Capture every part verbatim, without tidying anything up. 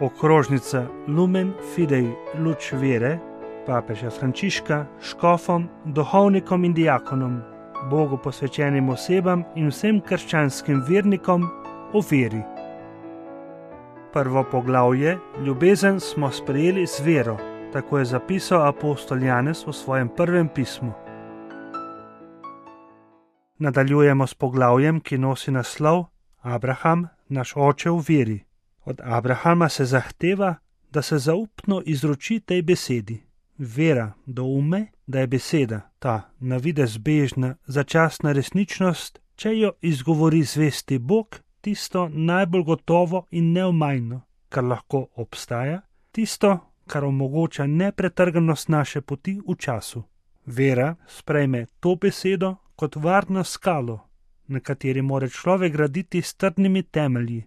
Okrožnica Lumen Fidei Luč Vere papeža Frančiška škofom, duhovnikom in diakonom, Bogu posvečenim osebam in vsem krščanskim vernikom o veri. Prvo poglavje, ljubezen smo sprejeli z vero, tako je zapisal apostol Janez v svojem prvem pismu. Nadaljujemo s poglavjem, ki nosi naslov Abraham, naš oče v veri. Od Abrahama se zahteva, da se zaupno izroči tej besedi. Vera doume, da je beseda, ta navidez bežna, začasna resničnost, če jo izgovori zvesti Bog, tisto najbolj gotovo in neomajno, kar lahko obstaja, tisto, kar omogoča nepretrganost naše poti v času. Vera sprejme to besedo kot varno skalo, na kateri more človek graditi s trdnimi temelji.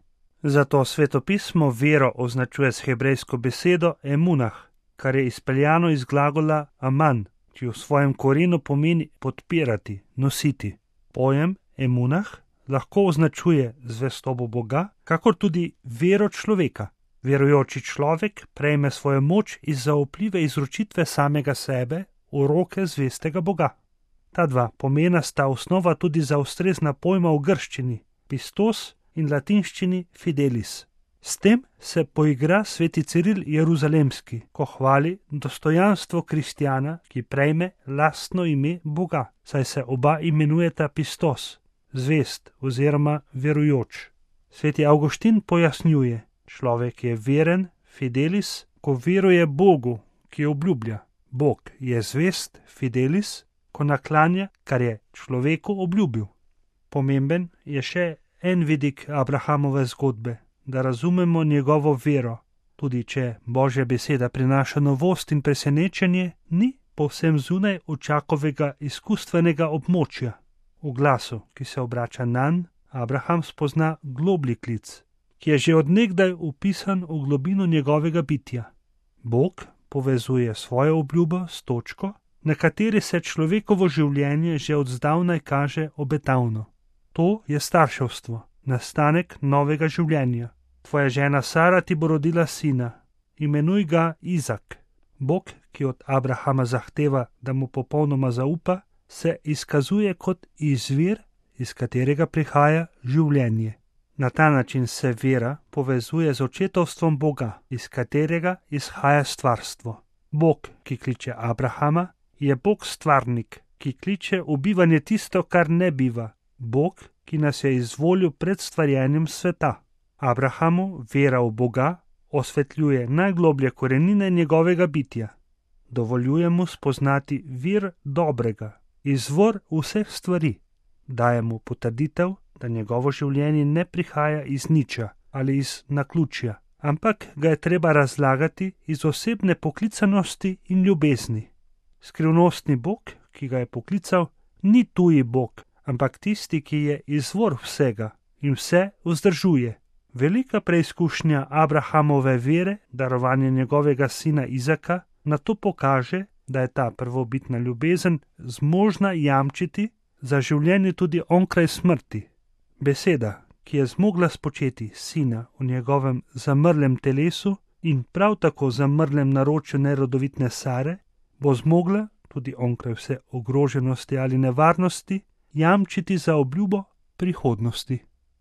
Zato svetopismo vero označuje s hebrejsko besedo emunah, kar je izpeljano iz glagola aman, ki v svojem korenu pomeni podpirati, nositi. Pojem emunah lahko označuje zvestobo Boga, kakor tudi vero človeka. Verujoči človek prejme svojo moč iz zaupljive izročitve samega sebe v roke zvestega Boga. Ta dva pomena sta osnova tudi za ustrezna pojma v grščini, pistos in latinščini fidelis. S tem se poigra sveti Ciril Jeruzalemski, ko hvali dostojanstvo kristjana, ki prejme lastno ime Boga, saj se oba imenujeta pistos, zvest oziroma verujoč. Sveti Avguštin pojasnjuje, človek je veren, fidelis, ko veruje Bogu, ki obljublja. Bog je zvest, fidelis, ko naklanja, kar je človeku obljubil. Pomemben je še en vidik Abrahamove zgodbe, da razumemo njegovo vero, tudi če Božja beseda prinaša novost in presenečenje, ni povsem zunaj očakovega izkustvenega območja. V glasu, ki se obrača nanj, Abraham spozna globlji klic, ki je že od nekdaj vpisan v globino njegovega bitja. Bog povezuje svojo obljubo s točko, na kateri se človekovo življenje že od zdavnaj kaže obetavno. To je starševstvo, nastanek novega življenja. Tvoja žena Sara ti bo rodila sina, imenuj ga Izak. Bog, ki od Abrahama zahteva, da mu popolnoma zaupa, se izkazuje kot izvir, iz katerega prihaja življenje. Na ta način se vera povezuje z očetovstvom Boga, iz katerega izhaja stvarstvo. Bog, ki kliče Abrahama, je Bog stvarnik, ki kliče v bivanje tisto, kar ne biva. Bog, ki nas je izvolil pred stvarjenjem sveta. Abrahamu vera v Boga osvetljuje najgloblje korenine njegovega bitja. Dovoljuje mu spoznati vir dobrega, izvor vseh stvari. Daje mu potrditev, da njegovo življenje ne prihaja iz niča ali iz naključja, ampak ga je treba razlagati iz osebne poklicanosti in ljubezni. Skrivnostni Bog, ki ga je poklical, ni tuji Bog, ampak tisti, ki je izvor vsega in vse vzdržuje. Velika preizkušnja Abrahamove vere, darovanje njegovega sina Izaka, na to pokaže, da je ta prvobitna ljubezen zmožna jamčiti za življenje tudi onkraj smrti. Beseda, ki je zmogla spočeti sina v njegovem zamrlem telesu in prav tako zamrlem naročju nerodovitne Sare, bo zmogla, tudi onkraj vse ogroženosti ali nevarnosti, jamčiti za obljubo prihodnosti.